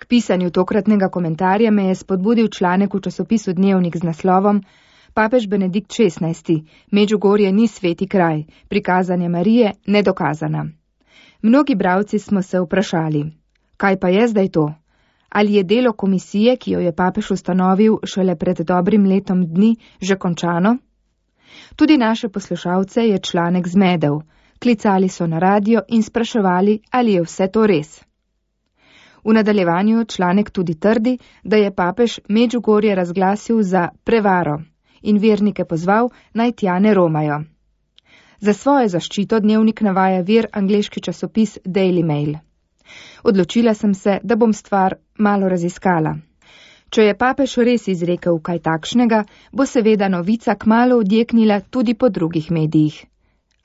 K pisanju tokratnega komentarja me je spodbudil članek v časopisu Dnevnik z naslovom Papež Benedikt XVI. Medžugorje ni sveti kraj, prikazanje Marije nedokazana. Mnogi bralci smo se vprašali, kaj pa je zdaj to? Ali je delo komisije, ki jo je papež ustanovil šele pred dobrim letom dni, že končano? Tudi naše poslušalce je članek zmedel. Klicali so na radio in spraševali, ali je vse to res. V nadaljevanju članek tudi trdi, da je papež Medžugorje razglasil za prevaro in vernike pozval, naj tja ne romajo. Za svojo zaščito Dnevnik navaja vir angleški časopis Daily Mail. Odločila sem se, da bom stvar malo raziskala. Če je papež res izrekel kaj takšnega, bo seveda novica kmalu odjeknila tudi po drugih medijih.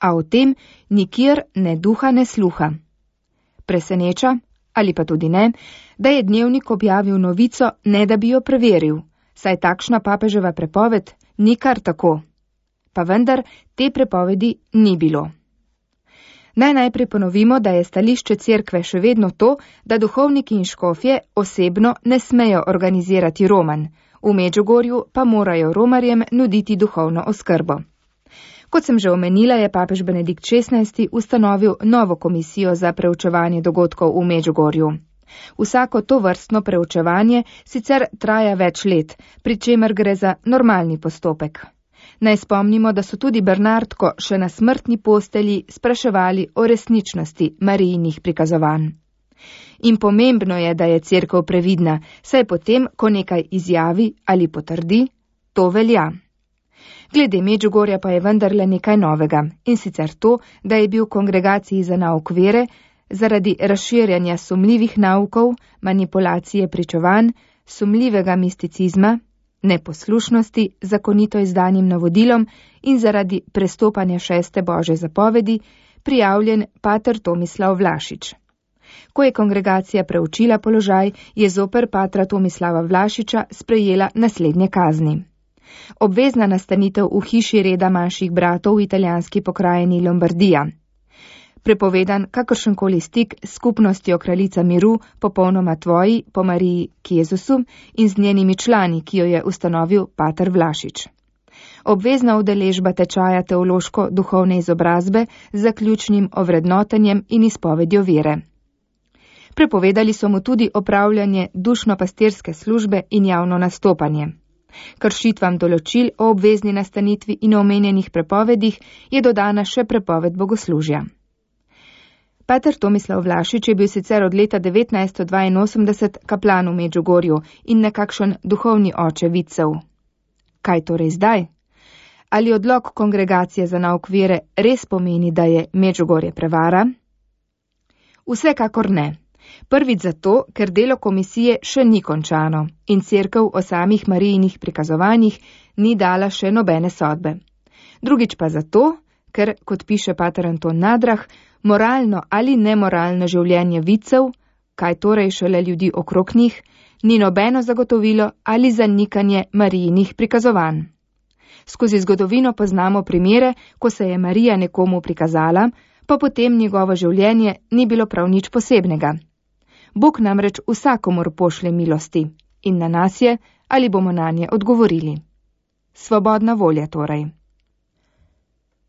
A o tem nikjer ne duha ne sluha. Preseneča, ali pa tudi ne, da je Dnevnik objavil novico, ne da bi jo preveril, saj takšna papeževa prepoved ni kar tako. Pa vendar te prepovedi ni bilo. Naj najprej ponovimo, da je stališče cerkve še vedno to, da duhovniki in škofje osebno ne smejo organizirati romanj, v Medžugorju pa morajo romarjem nuditi duhovno oskrbo. Kot sem že omenila, je papež Benedikt XVI. Ustanovil novo komisijo za preučevanje dogodkov v Medžugorju. Vsako to vrstno preučevanje sicer traja več let, pri čemer gre za normalni postopek. Naj spomnimo, da so tudi Bernardko še na smrtni postelji spraševali o resničnosti Marijinih prikazovanj. In pomembno je, da je cerkev previdna, saj potem, ko nekaj izjavi ali potrdi, to velja. Glede Medžugorja pa je vendarle nekaj novega, in sicer to, da je bil kongregaciji za nauk vere zaradi razširjanja sumljivih naukov, manipulacije pričevanj, sumljivega misticizma, neposlušnosti zakonito izdanim navodilom in zaradi prestopanja 6. Božje zapovedi prijavljen pater Tomislav Vlašič. Ko je kongregacija preučila položaj, je zoper patra Tomislava Vlašiča sprejela naslednje kazni. Obvezna nastanitev v hiši reda manjših bratov v italijanski pokrajini Lombardija. Prepovedan kakršenkoli stik s skupnostjo Kraljica miru, popolnoma tvoji, po Mariji k Jezusu in z njenimi člani, ki jo je ustanovil pater Vlašič. Obvezna udeležba tečaja teološko-duhovne izobrazbe z zaključnim ovrednotenjem in izpovedjo vere. Prepovedali so mu tudi opravljanje dušno-pastirske službe in javno nastopanje. Kršitvam določil o obvezni nastanitvi in omenjenih prepovedih je dodana še prepoved bogoslužja. Pater Tomislav Vlašič je bil sicer od leta 1982 kaplan v Medžugorju in nekakšen duhovni oče vidcev. Kaj torej zdaj? Ali odlok kongregacije za nauk vere res pomeni, da je Medžugorje prevara? Vsekakor ne. Prvič zato, ker delo komisije še ni končano in cerkev o samih Marijinih prikazovanjih ni dala še nobene sodbe. Drugič pa zato, ker, kot piše pater Anton Nadrah, moralno ali nemoralno življenje vidcev, kaj torej šele ljudi okrog njih, ni nobeno zagotovilo ali zanikanje Marijinih prikazovanj. Skozi zgodovino poznamo primere, ko se je Marija nekomu prikazala, pa potem njegovo življenje ni bilo prav nič posebnega. Bog namreč vsakomur pošlje milosti in na nas je, ali bomo nanje odgovorili. Svobodna volja torej.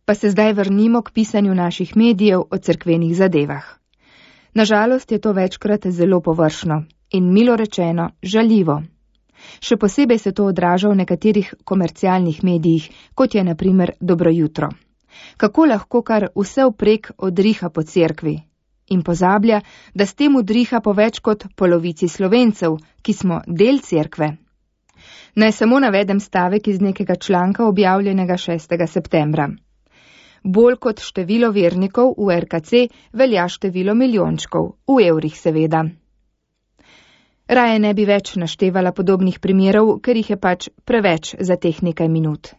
Pa se zdaj vrnimo k pisanju naših medijev o cerkvenih zadevah. Nažalost je to večkrat zelo površno in milo rečeno žaljivo. Še posebej se to odraža v nekaterih komercialnih medijih, kot je na primer Dobro jutro. Kako lahko kar vse vprek odriha po cerkvi in pozablja, da s tem udriha po več kot polovici Slovencev, ki smo del cerkve. Naj samo navedem stavek iz nekega članka objavljenega 6. septembra. Bolj kot število vernikov v RKC velja število milijončkov, v evrih seveda. Raje ne bi več naštevala podobnih primerov, ker jih je pač preveč za teh nekaj minut.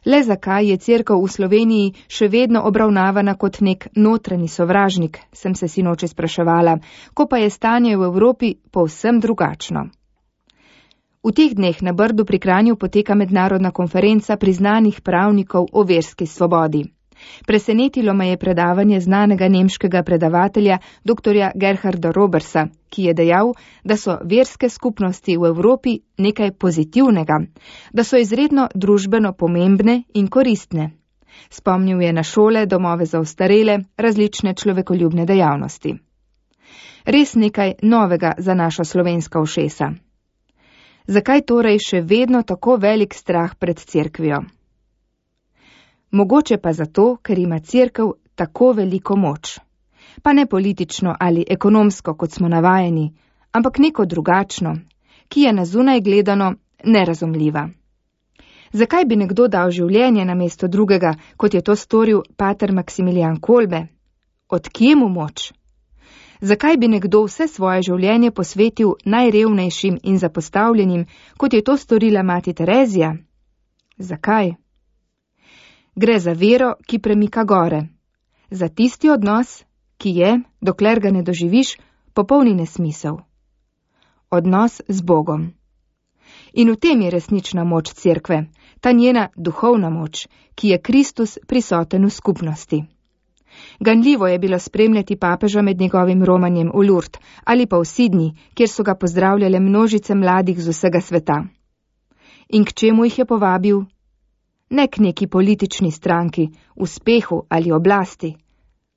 Le zakaj je cerkev v Sloveniji še vedno obravnavana kot nek notranji sovražnik, sem se sinoči spraševala, ko pa je stanje v Evropi povsem drugačno. V teh dneh na Brdu pri Kranju poteka mednarodna konferenca priznanih pravnikov o verski svobodi. Presenetilo me je predavanje znanega nemškega predavatelja dr. Gerharda Robersa, ki je dejal, da so verske skupnosti v Evropi nekaj pozitivnega, da so izredno družbeno pomembne in koristne. Spomnil je na šole, domove za ostarele, različne človekoljubne dejavnosti. Res nekaj novega za našo slovenska ušesa. Zakaj torej še vedno tako velik strah pred cerkvijo? Mogoče pa zato, ker ima cerkev tako veliko moč. Pa ne politično ali ekonomsko, kot smo navajeni, ampak neko drugačno, ki je na zunaj gledano nerazumljiva. Zakaj bi nekdo dal življenje namesto drugega, kot je to storil pater Maksimilijan Kolbe? Od kje mu moč? Zakaj bi nekdo vse svoje življenje posvetil najrevnejšim in zapostavljenim, kot je to storila mati Terezija? Zakaj? Gre za vero, ki premika gore. Za tisti odnos, ki je, dokler ga ne doživiš, popolni nesmisel. Odnos z Bogom. In v tem je resnična moč cerkve, ta njena duhovna moč, ki je Kristus prisoten v skupnosti. Ganljivo je bilo spremljati papeža med njegovim romanjem v Lourdes ali pa v Sydney, kjer so ga pozdravljale množice mladih z vsega sveta. In k čemu jih je povabil? Ne k neki politični stranki, uspehu ali oblasti,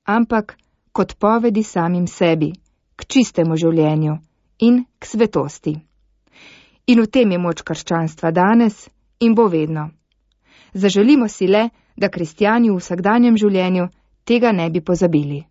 ampak k odpovedi samim sebi, k čistemu življenju in k svetosti. In v tem je moč krščanstva danes in bo vedno. Zaželimo si le, da kristjani v vsakdanjem življenju tega ne bi pozabili.